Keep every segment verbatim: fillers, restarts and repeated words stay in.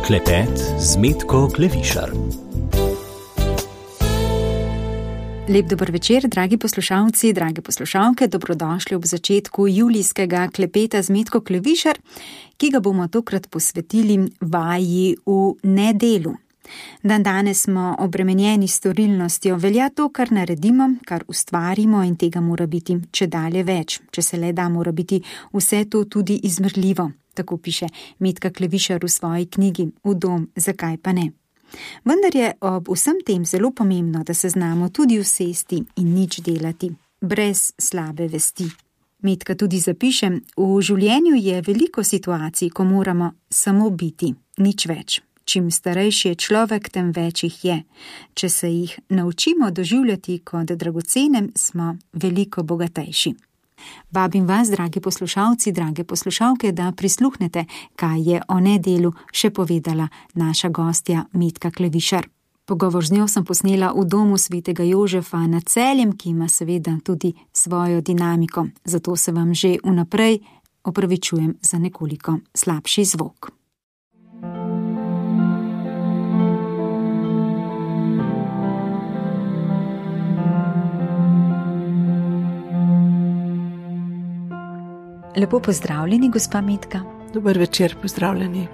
Klepet z Metko Klevišar. Lep dober večer, dragi poslušalci, drage poslušalke, dobrodošli ob začetku julijskega klepeta z Metko Klevišar, ki ga bomo tokrat posvetili vaji v nedelu. Dan danes smo obremenjeni s storilnostjo, velja to, kar naredimo, kar ustvarimo in tega mora biti čedalje več. Če se le da, mora biti vse to tudi izmerljivo, tako piše Metka Klevišar v svoji knjigi V dom, zakaj pa ne. Vendar je ob vsem tem zelo pomembno, da se znamo tudi usesti in nič delati, brez slabe vesti. Metka tudi zapiše, v življenju je veliko situacij, ko moramo samo biti, nič več. Čim starejši je človek, tem več jih je. Če se jih naučimo doživljati kot dragocene, smo veliko bogatejši. Vabim vas, dragi poslušalci, drage poslušalke, da prisluhnete, kaj je o nedelu še povedala naša gostja Metka Klevišar. Pogovor z njo sem posnela v domu svetega Jožefa nad Celjem, ki ima seveda tudi svojo dinamiko. Zato se vam že vnaprej opravičujem za nekoliko slabši zvok. Lepo pozdravljeni, gospa Metka. Dober večer, pozdravljeni.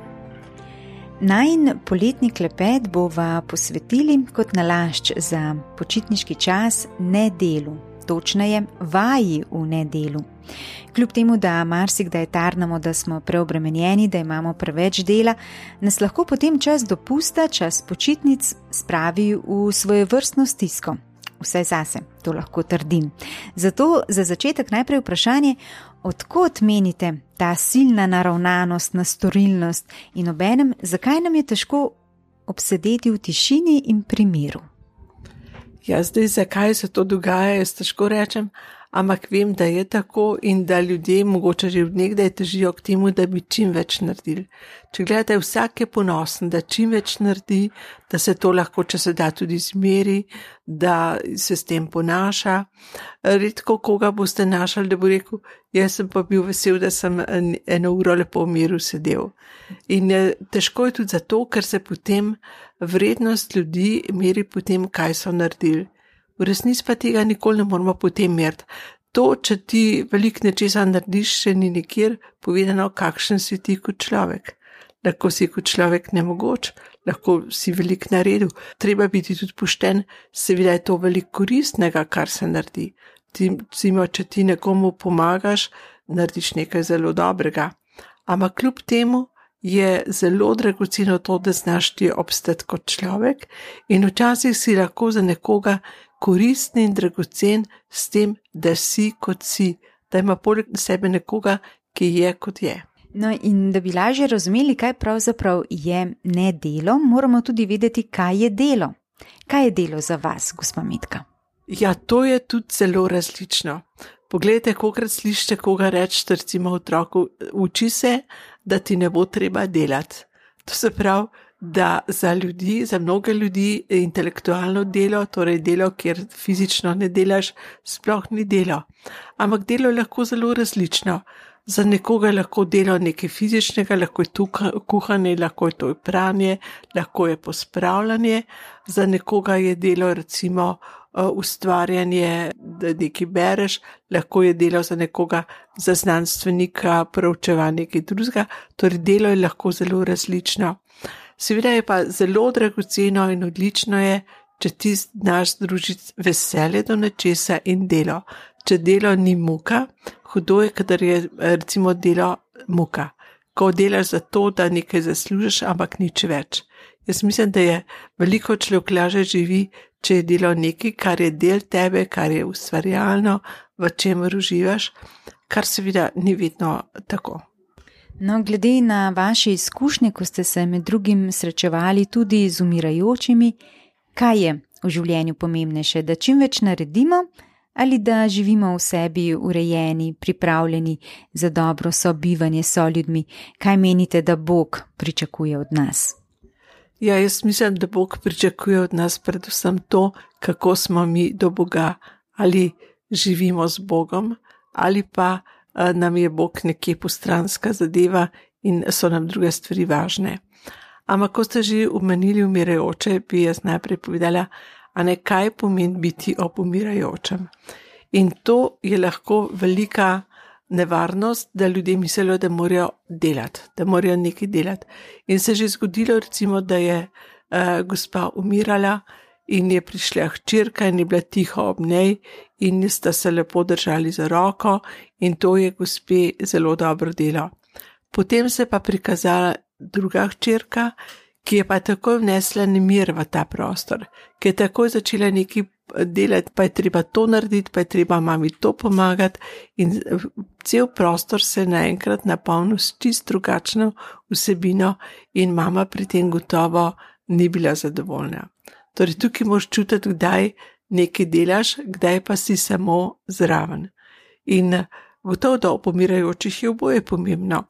Najin poletni klepet bova posvetili kot nalašč za počitniški čas nedelu, točneje vaji v nedelu. Kljub temu, da marsikdaj tarnamo, da smo preobremenjeni, da imamo preveč dela, nas lahko potem čas dopusta, čas počitnic spravi v svojevrstno stisko. Vse zase, to lahko trdim. Zato za začetek najprej vprašanje, od kod menite ta silna naravnanost na storilnost in obenem, zakaj nam je težko obsedeti v tišini in pri miru? Ja, zdaj, zakaj se to dogaja, jaz težko rečem, ampak vem, da je tako in da ljudje mogoče že od nekdaj težijo k temu, da bi čim več naredili. Če gledate, vsak je ponosen, da čim več naredi, da se to lahko, če se da, tudi zmeri, da se s tem ponaša. Redko koga boste našali, da bo rekel, jaz sem pa bil vesel, da sem eno uro lepo v miru sedel. In težko je tudi zato, ker se potem vrednost ljudi meri potem, kaj so naredili. V resnici pa tega nikoli ne moramo potem meriti. To, če ti veliko nečesa narediš, še ni nikjer povedano, kakšen si ti kot človek. Lahko si kot človek nemogoč, lahko si veliko naredil. Treba biti tudi pošten, seveda je to veliko koristnega, kar se naredi. Ti, če ti nekomu pomagaš, narediš nekaj zelo dobrega. Ampak kljub temu je zelo dragoceno to, da znaš ti obstati kot človek in včasih si lahko za nekoga koristni in dragocen s tem, da si kot si, da ima poleg sebe nekoga, ki je kot je. No in da bi lažje razumeli, kaj pravzaprav je nedelo, moramo tudi vedeti, kaj je delo. Kaj je delo za vas, gospa Metka? Ja, to je tudi zelo različno. Poglejte, kolikrat slišite koga reči, recimo otroku, uči se, da ti ne bo treba delati. To se pravi, da za ljudi, za mnoge ljudi intelektualno delo, torej delo, kjer fizično ne delaš, sploh ni delo. Ampak delo je lahko zelo različno. Za nekoga je lahko delo nekaj fizičnega, lahko je tukaj kuhanje, lahko je to pranje, lahko je pospravljanje. Za nekoga je delo recimo ustvarjanje, da nekaj bereš, lahko je delo za nekoga, za znanstvenika, proučevanje nekaj drugega, torej delo je lahko zelo različno. Seveda je pa zelo dragoceno in odlično je, če ti znaš združiti veselje do nečesa in delo. Če delo ni muka, hudo je, kadar je recimo delo muka. Ko delaš za to, da nekaj zaslužiš, ampak nič več. Jaz mislim, da je veliko človek lažje živi, če je delo nekaj, kar je del tebe, kar je ustvarjalno, v čemer uživaš, kar seveda ni vedno tako. No, glede na vaše izkušnje, ko ste se med drugim srečevali tudi z umirajočimi, kaj je v življenju pomembnejše, da čim več naredimo ali da živimo v sebi urejeni, pripravljeni za dobro sobivanje s soljudmi? Kaj menite, da Bog pričakuje od nas? Ja, jaz mislim, da Bog pričakuje od nas predvsem to, kako smo mi do Boga, ali živimo z Bogom, ali pa nam je Bog nekje postranska zadeva in so nam druge stvari važne. Ampak, ko ste že omenili umirajoče, bi jaz najprej povedala, a ne kaj pomeni biti ob umirajočem. In to je lahko velika nevarnost, da ljudje mislijo, da morajo delati, da morajo nekaj delati. In se je že zgodilo, recimo, da je uh, gospa umirala in je prišla hčerka in je bila tiho ob njej in sta se lepo držali za roko in to je gospe zelo dobro delo. Potem se pa prikazala druga hčerka, ki je pa takoj vnesla nemir v ta prostor, ki je takoj začela nekaj delati, pa je treba to narediti, pa je treba mami to pomagati in cel prostor se naenkrat napolnil s čist drugačno vsebino in mama pri tem gotovo ni bila zadovoljna. Torej tukaj moraš čutiti, kdaj nekaj delaš, kdaj pa si samo zraven. In gotovo, da o pomirajočih je oboje pomembno.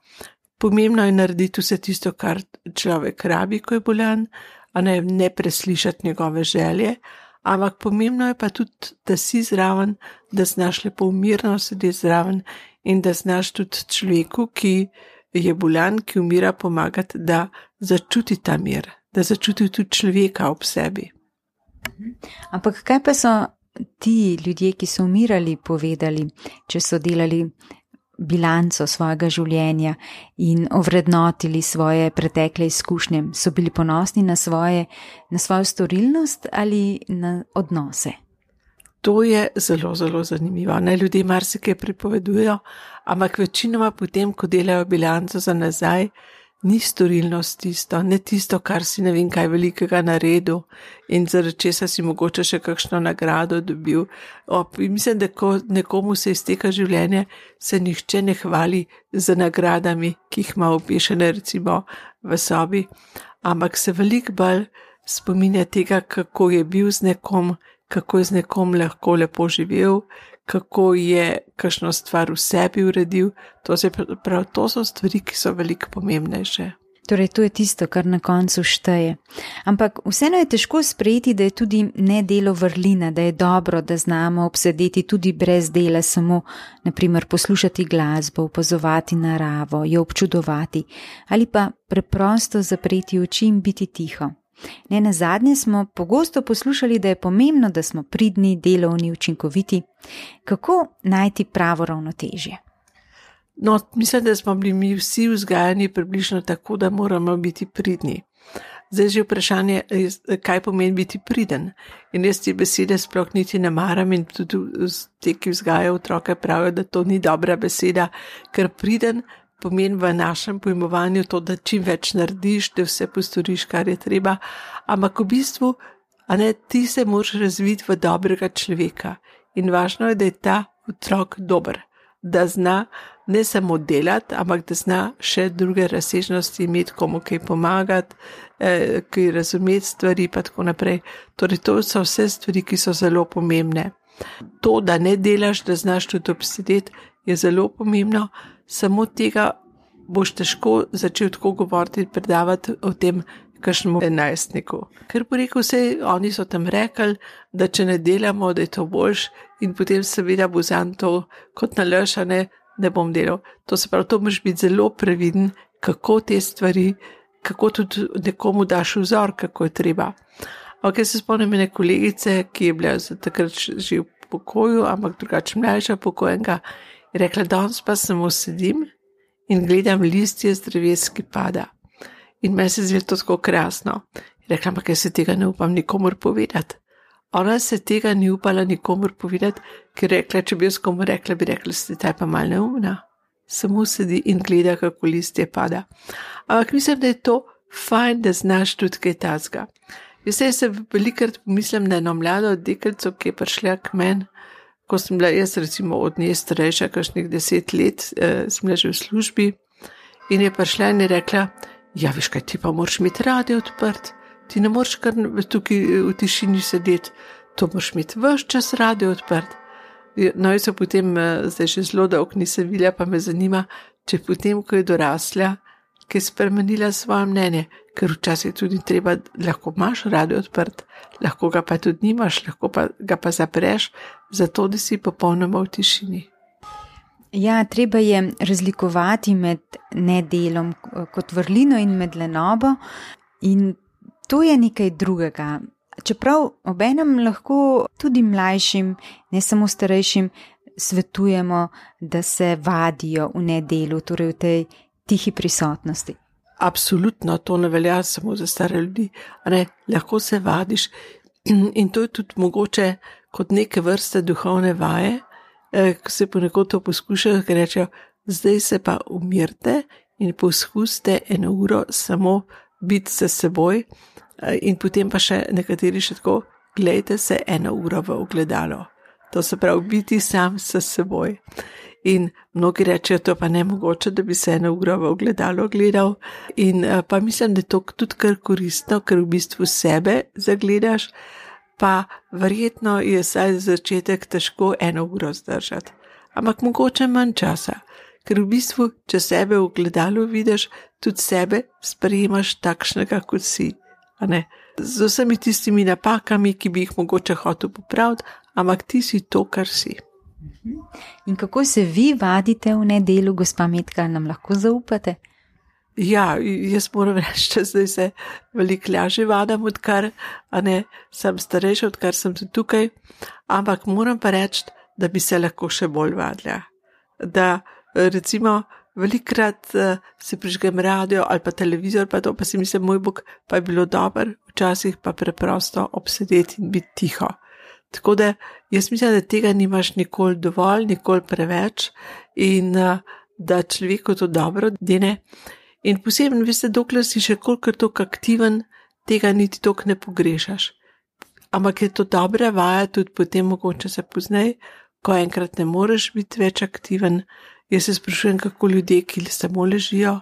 Pomembno je narediti vse tisto, kar človek rabi, ko je bolan, a ne, ne preslišati njegove želje, ampak pomembno je pa tudi, da si zraven, da znaš lepo mirno sedeti zraven in da znaš tudi človeku, ki je bolan, ki umira, pomagati, da začuti ta mir, da začuti tudi človeka ob sebi. Ampak kaj pa so ti ljudje, ki so umirali, povedali, če so delali bilanco svojega življenja in ovrednotili svoje pretekle izkušnje? So bili ponosni na, svoje, na svojo storilnost ali na odnose? To je zelo, zelo zanimivo. Naj ljudje marsikaj pripovedujejo, ampak večinoma potem, ko delajo bilanco za nazaj, ni storilnost tisto, ne tisto, kar si ne vem kaj velikega naredil in zaradi česa si mogoče še kakšno nagrado dobil. Ob, mislim, da ko nekomu se izteka življenje, se nihče ne hvali z nagradami, ki jih ima obešene recimo v sobi, ampak se veliko bolj spominja tega, kako je bil z nekom, kako je z nekom lahko lepo živel, kako je kakšno stvar v sebi uredil. To, se, prav, to so stvari, ki so veliko pomembnejše. Torej, to je tisto, kar na koncu šteje. Ampak vseeno je težko sprejeti, da je tudi nedelo vrlina, da je dobro, da znamo obsedeti tudi brez dela, samo naprimer poslušati glasbo, opazovati naravo, jo občudovati ali pa preprosto zapreti oči in biti tiho. Ne nazadnje smo pogosto poslušali, da je pomembno, da smo pridni, delovni, učinkoviti. Kako najti pravo ravnotežje? No, mislim, da smo bili mi vsi vzgajani približno tako, da moramo biti pridni. Zdaj že vprašanje, kaj pomeni biti priden. In jaz te besede sploh niti ne maram in tudi te, ki vzgajajo otroke, pravijo, da to ni dobra beseda, ker priden pomeni v našem pojmovanju to, da čim več narediš, da vse postoriš, kar je treba, ampak v bistvu, a ne, ti se moraš razviti v dobrega človeka in važno je, da je ta otrok dober, da zna ne samo delati, ampak da zna še druge razsežnosti imeti, komu kaj pomagati, eh, kaj razumeti stvari pa tako naprej. Torej, to so vse stvari, ki so zelo pomembne. To, da ne delaš, da znaš tudi obsedeti, je zelo pomembno. Samo tega boš težko začel tako govoriti in predavati o tem kakšnemu enajstniku. Ker bo rekel, vse, oni so tam rekli, da če ne delamo, da je to boljš in potem seveda bo zanj to kot nalaš, a ne, ne bom delal. To se pravi, to moraš biti zelo previden, kako te stvari, kako tudi nekomu daš vzor, kako je treba. Ok, se spomnim ene kolegice, ki je bila za takrat že v pokoju, ampak drugače mlajša pokojenka, je rekla, danes pa samo sedim in gledam listje z dreves, ki pada. In meni se zdi to tako krasno. Je rekla, ampak jaz se tega ne upam nikomor povedati. Ona se tega ni upala nikomor povedati, ker rekla, če bi jaz komu rekla, bi rekla, ste taj pa mal neumna. Samo sedi in gleda, kako listje pada. Ampak mislim, da je to fajn, da znaš tudi kaj tazga. Jaz se velikrat pomislim na eno mlado deklico, ki je prišla k meni, ko sem bila jaz recimo od nje starejša, kakšnih deset let, eh, sem bila že v službi in je prišla in je rekla, ja, veš kaj, ti pa moraš imeti radio odprt, ti ne moraš kar tukaj v tišini sedeti, to moraš imeti ves čas radio odprt. No, jaz se potem, zdaj že zelo dolgo nisem videla, pa me zanima, če potem, ko je dorasla, ki je spremenila svoje mnenje, ker včasih tudi treba, lahko imaš radio odprt, lahko ga pa tudi nimaš, lahko pa ga pa zapreš, zato da si popolnoma v tišini. Ja, treba je razlikovati med nedelom kot vrlino in med lenobo. In to je nekaj drugega. Čeprav obenem lahko tudi mlajšim, ne samo starejšim, svetujemo, da se vadijo v nedelu, torej v tej tihi prisotnosti. Absolutno, to ne velja samo za stare ljudi. Ne, lahko se vadiš in to je tudi mogoče kot neke vrste duhovne vaje, ko se ponekod to poskušajo, ker rečejo, zdaj se pa umirte in poskusite eno uro samo biti se seboj in potem pa še nekateri še tako, gledajte se eno uro v ogledalo. To se pravi, biti sam s seboj. In mnogi rečejo, to pa ne mogoče, da bi se eno uro v ogledalo gledal. In pa mislim, da je to tudi kar koristno, ker v bistvu sebe zagledaš, pa verjetno je saj za začetek težko eno uro zdržati. Ampak mogoče manj časa, ker v bistvu, če sebe v ogledalu vidiš, tudi sebe sprejemaš takšnega, kot si. A ne? Z vsemi tistimi napakami, ki bi jih mogoče hotel popraviti, ampak ti si to, kar si. In kako se vi vadite v nedelu, gospa Metka, nam lahko zaupate? Ja, jaz moram reči, da zdaj se veliko lažje vadam, odkar, a ne, sem starejša, odkar sem tudi tukaj, ampak moram pa reči, da bi se lahko še bolj vadila. Da recimo velikrat uh, se prižgem radio ali pa televizor, pa to pa si mislim, moj bog, pa je bilo dobro, včasih pa preprosto obsedeti in biti tiho. Tako da jaz mislim, da tega nimaš nikoli dovolj, nikoli preveč in uh, da človeku to dobro dene. In posebno, veste, dokler si še kolikor toliko aktiven, tega niti toliko ne pogrešaš. Ampak je to dobra vaja tudi potem mogoče se poznej, ko enkrat ne moreš biti več aktiven. Jaz se sprašujem, kako ljudje, ki samo ležijo,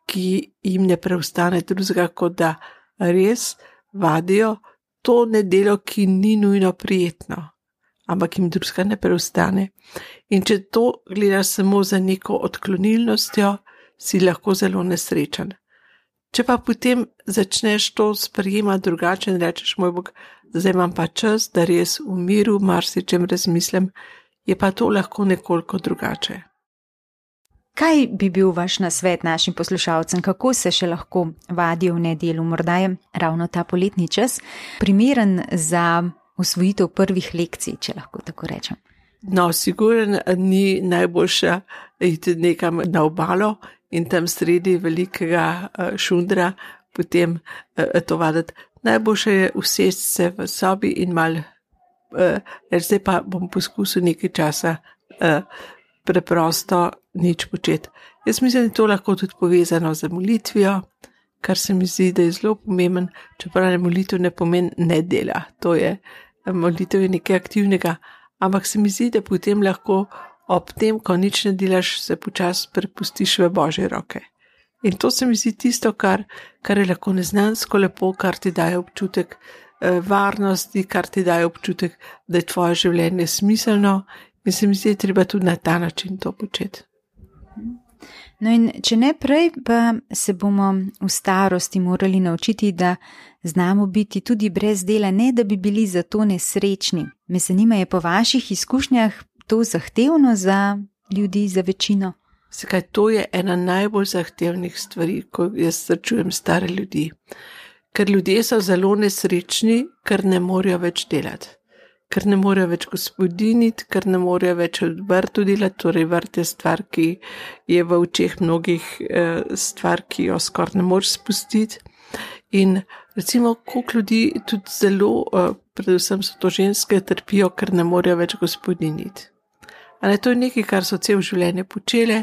ki jim ne preostane drugega, kot da res vadijo to nedelo, ki ni nujno prijetno, ampak jim drugega ne preostane. In če to gledaš samo za neko odklonilnostjo, si lahko zelo nesrečen. Če pa potem začneš to sprejemati drugače in rečeš, moj bog, zdaj imam pa čas, da res v miru marsičem razmislim, je pa to lahko nekoliko drugače. Kaj bi bil vaš nasvet našim poslušalcem, kako se še lahko vadijo v nedelu? Morda je ravno ta poletni čas primeren za usvojitev prvih lekcij, če lahko tako rečem. No, sigurno ni najboljša iti nekam na obalo in tam sredi velikega šundra potem to vaditi. Najboljše je usesti se v sobi in mal, reči, zdaj pa bom poskusil nekaj časa preprosto nič početi. Jaz mislim, da je to lahko tudi povezano z molitvijo, kar se mi zdi, da je zelo pomemben, čeprav ne molitev ne pomeni ne dela. To je, molitev je nekaj aktivnega, ampak se mi zdi, da potem lahko ob tem, ko nič ne delaš, se počasi prepustiš v Božje roke. In to se mi zdi tisto, kar, kar je lahko neznansko lepo, kar ti daje občutek eh, varnosti, kar ti daje občutek, da je tvoje življenje smiselno. In se mi zdi, da treba tudi na ta način to početi. No in če ne prej, pa se bomo v starosti morali naučiti, da znamo biti tudi brez dela, ne da bi bili zato nesrečni. Me zanima, je po vaših izkušnjah to zahtevno za ljudi, za večino? Zakaj, to je ena najbolj zahtevnih stvari, ko jaz srečujem stare ljudi. Ker ljudje so zelo nesrečni, ker ne morejo več delati. Ker ne morejo več gospodiniti, ker ne morejo več v vrtu delati, torej vrt je stvar, ki je v očeh mnogih eh, stvar, ki jo skoraj ne moreš spustiti. In recimo, koliko ljudi tudi zelo, eh, predvsem so to ženske, trpijo, ker ne morejo več gospodiniti. Ale to je nekaj, kar so cel življenje počele,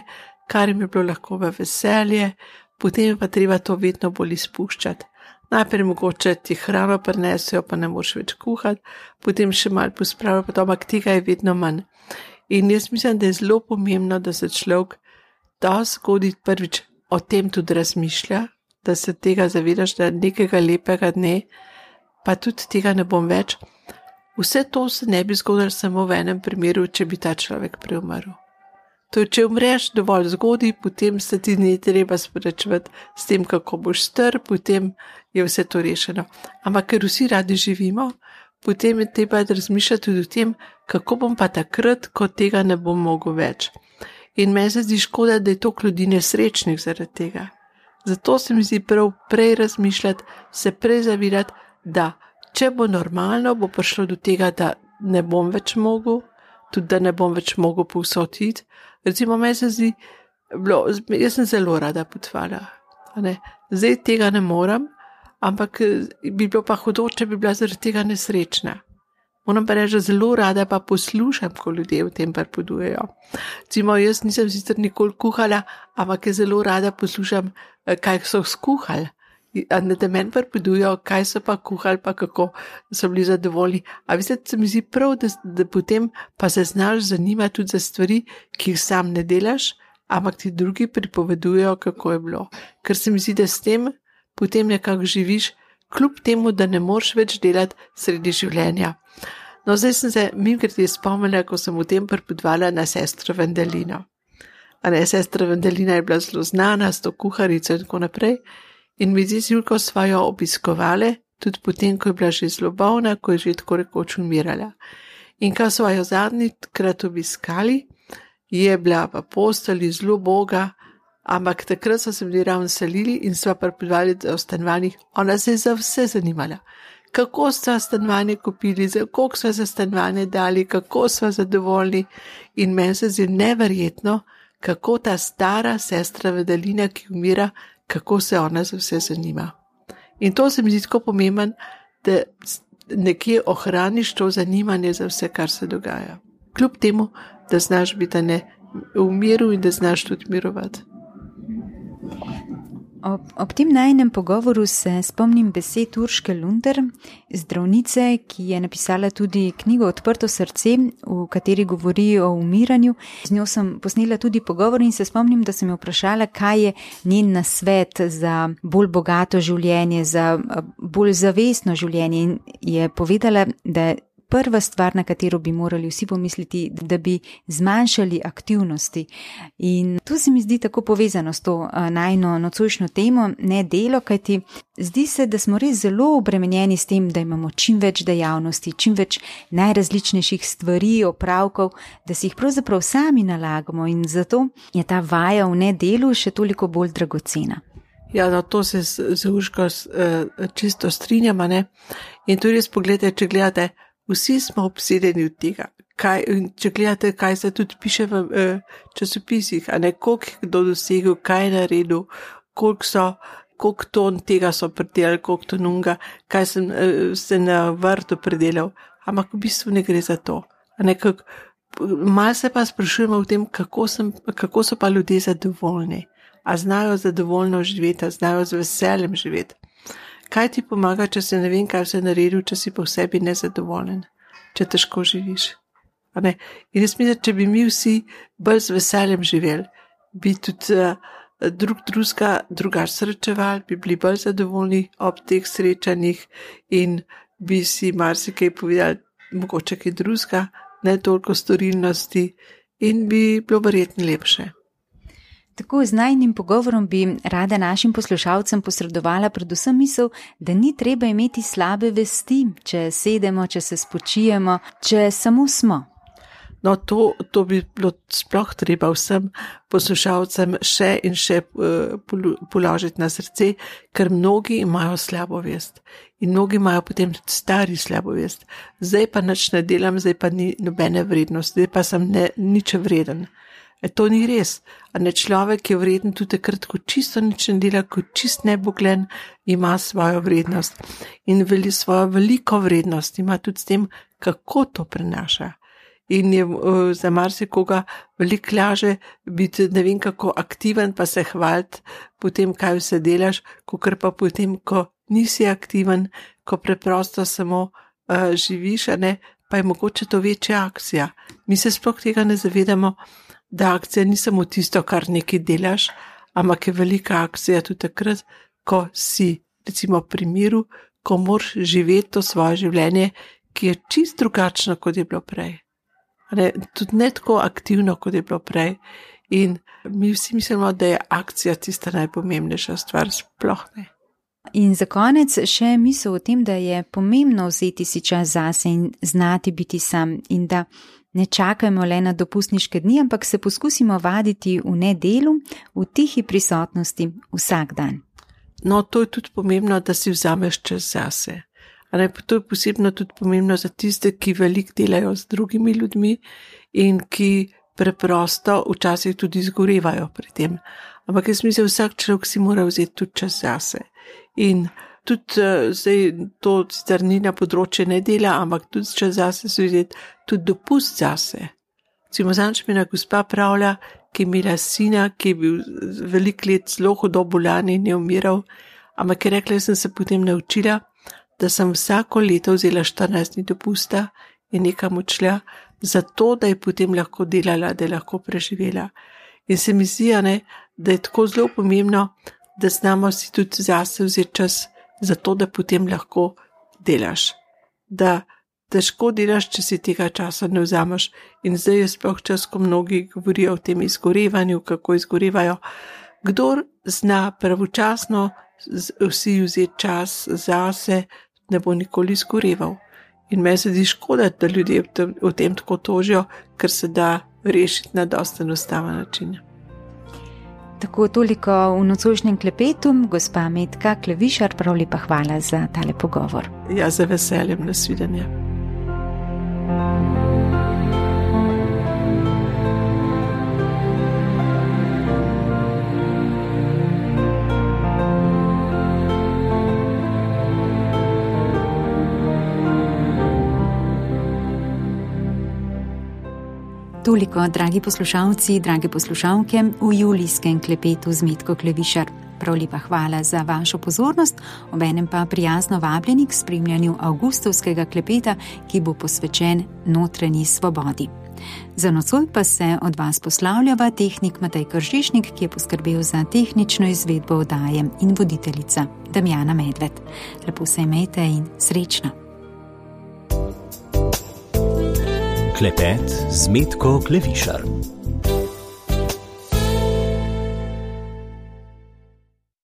kar jim je bilo lahko v veselje, potem pa treba to vedno bolj izpuščati. Najprej mogoče ti hrano prinesejo, pa ne moreš več kuhati, potem še malo pospravijo, pa to, ampak tega je vedno manj. In jaz mislim, da je zelo pomembno, da se človek dosti zgodaj prvič o tem tudi razmišlja, da se tega zavedaš, da nekega lepega dne, pa tudi tega ne bom več. Vse to se ne bi zgodilo samo v enem primeru, če bi ta človek preumrl. To je, če umreš dovolj zgodaj, potem se ti ne treba sprečevati s tem, kako boš star, potem je vse to rešeno. Ampak ker vsi radi živimo, potem je treba razmišljati tudi o tem, kako bom pa takrat, ko tega ne bom mogel več. In meni se zdi škoda, da je toliko ljudi nesrečnih zaradi tega. Zato se mi zdi prav prej razmišljati, se prej zavedati, da če bo normalno, bo prišlo do tega, da ne bom več mogel, tudi da ne bom več mogel povsod iti. Recimo, meni se zdi, bilo, jaz sem zelo rada potovala. Zdaj tega ne morem, ampak bi bilo pa hudo, če bi bila zaradi tega nesrečna. Moram pa reči, da zelo rada pa poslušam, ko ljudje v tem pripovedujejo. Recimo, jaz nisem sicer nikoli kuhala, ampak zelo rada poslušam, kaj so skuhali. Da meni pripovedujejo, kaj so pa kuhali, pa kako so bili zadovoljni. A veste, se mi zdi prav, da, da potem pa se znaš zanimati tudi za stvari, ki jih sam ne delaš, ampak ti drugi pripovedujejo, kako je bilo. Ker se mi zdi, da s tem potem nekako živiš, kljub temu, da ne moreš več delati sredi življenja. No, zdaj sem se mimogrede spomnila, ko sem v tem pripovedovala na sestro Vendelino. A ne, sestra Vendelina je bila zelo znana s to kuharico in tako naprej. In mi zdi, Julko sva jo obiskovali, tudi potem, ko je bila že zelo bolna, ko je že tako rekoč umirala. In ko sva jo zadnji krat obiskali, je bila pa postali zelo boga, ampak takrat so se bili ravno selili in sva pripovedovali o stanovanjih. Ona se je za vse zanimala. Kako sva stanovanje kupili, koliko sva za stanovanje dali, kako sva zadovoljni. In meni se zdi neverjetno, kako ta stara sestra Vendelina, ki umira, kako se ona za vse zanima. In to se mi zdi tako pomemben, da nekje ohraniš to zanimanje za vse, kar se dogaja. Kljub temu, da znaš biti ne v miru in da znaš tudi mirovati. Ob, ob tem najinem pogovoru se spomnim besed Urške Lunder, zdravnice, ki je napisala tudi knjigo Odprto srce, v kateri govori o umiranju. Z njo sem posnela tudi pogovor in se spomnim, da sem jo vprašala, kaj je njen nasvet za bolj bogato življenje, za bolj zavestno življenje. In je povedala, da prva stvar, na katero bi morali vsi pomisliti, da bi zmanjšali aktivnosti. In tu se mi zdi tako povezano s to najino nocojšnjo temo, ne delo, kajti zdi se, da smo res zelo obremenjeni s tem, da imamo čim več dejavnosti, čim več najrazličnejših stvari, opravkov, da si jih pravzaprav sami nalagamo in zato je ta vaja v nedelu še toliko bolj dragocena. Ja, no, to se z Urško čisto strinjamo, ne? In tudi res pogledajte, če gledate, vsi smo obsedeni od tega. Kaj, če gledate, kaj se tudi piše v eh, časopisih, a ne, koliko je kdo dosegel, kaj je naredil, koliko so, koliko ton tega so predelali, koliko ton unga, kaj sem eh, se na vrtu predelal. Ampak v bistvu ne gre za to. A ne, kak, malo se pa sprašujemo o tem, kako, sem, kako so pa ljudje zadovoljni. A znajo zadovoljno živeti, a znajo z veseljem živeti. Kaj ti pomaga, če se ne vem, kaj se naredil, če si po sebi nezadovoljen, če težko živiš? A ne? In jaz mislim, če bi mi vsi bolj z veseljem živeli, bi tudi uh, drug drugega drugače srečevali, bi bili bolj zadovoljni ob teh srečanjih in bi si marsikaj povedali, mogoče kaj drugega, ne toliko storilnosti in bi bilo verjetno lepše. Tako z najnim pogovorom bi rada našim poslušalcem posredovala predvsem misel, da ni treba imeti slabe vesti, če sedemo, če se spočijemo, če samo smo. No, to, to bi bilo sploh treba vsem poslušalcem še in še uh, položiti na srce, ker mnogi imajo slabo vest in mnogi imajo potem tudi stari slabo vest. Zdaj pa nič ne delam, zdaj pa ni nobene vrednosti, zdaj pa sem ne, nič vreden. E, to ni res. A ne, človek je vreden tudi takrat, ko čisto nič ne dela, ko čist neboglen, ima svojo vrednost. In veli svojo veliko vrednost ima tudi s tem, kako to prenaša. In je uh, za marsikoga veliko laže biti ne vem kako aktiven, pa se hvaliti potem, kaj vse delaš, kakor pa potem, ko nisi aktiven, ko preprosto samo uh, živiš, a ne, pa je mogoče to večja akcija. Mi se sploh tega ne zavedamo, da akcija ni samo tisto, kar nekaj delaš, ampak je velika akcija tudi takrat, ko si, recimo pri miru, ko moraš živeti to svoje življenje, ki je čist drugačno, kot je bilo prej. Ne, tudi ne tako aktivno, kot je bilo prej. In mi vsi mislimo, da je akcija tista najpomembnejša stvar, sploh ne. In za konec še misel o tem, da je pomembno vzeti si čas zase in znati biti sam in da Ne čakajmo le na dopustniške dni, ampak se poskusimo vaditi v nedelu, v tihi prisotnosti vsak dan. No, to je tudi pomembno, da si vzameš čas zase. Ne, to je posebno tudi pomembno za tiste, ki veliko delajo z drugimi ljudmi in ki preprosto včasih tudi zgorevajo pri tem. Ampak jaz mislim, vsak človek si mora vzeti tudi čas zase. In tudi zdaj to sicer ni na področje nedela, ampak tudi čas zase si vzeti tudi dopust zase. Recimo, zanč mi ena gospa pravlja, ki je imela sina, ki je bil veliko let zelo hudo bolan in je umiral, ampak je rekla, jaz sem se potem naučila, da sem vsako leto vzela štirinajst dni dopusta in nekam odšla, zato da je potem lahko delala, da je lahko preživela. In se mi zdi, ne, da je tako zelo pomembno, da znamo si tudi zase vzeti čas, zato da potem lahko delaš. Da težko delaš, če si tega časa ne vzameš. In zdaj je sploh čas, ko mnogi govorijo o tem izgorevanju, kako izgorevajo. Kdor zna pravočasno vsi vzeti čas zase, ne bo nikoli izgoreval. In meni se zdi škoda, da ljudje o tem tako tožijo, ker se da rešiti na dosti enostaven način. Tako toliko v nocojšnjem klepetu, gospa Metka Klevišar, prav lepa hvala za tale pogovor. Ja, za veseljem, nasvidenje. Toliko, dragi poslušalci, drage poslušalke, v julijskem klepetu z Metko Klevišar. Prav lepa hvala za vašo pozornost, obenem pa prijazno vabljeni k spremljanju avgustovskega klepeta, ki bo posvečen notranji svobodi. Za nocoj pa se od vas poslavljava tehnik Matej Kržišnik, ki je poskrbel za tehnično izvedbo oddaje, in voditeljica Damjana Medved. Lepo se imejte in srečno. Klepet z Metko Klevišar.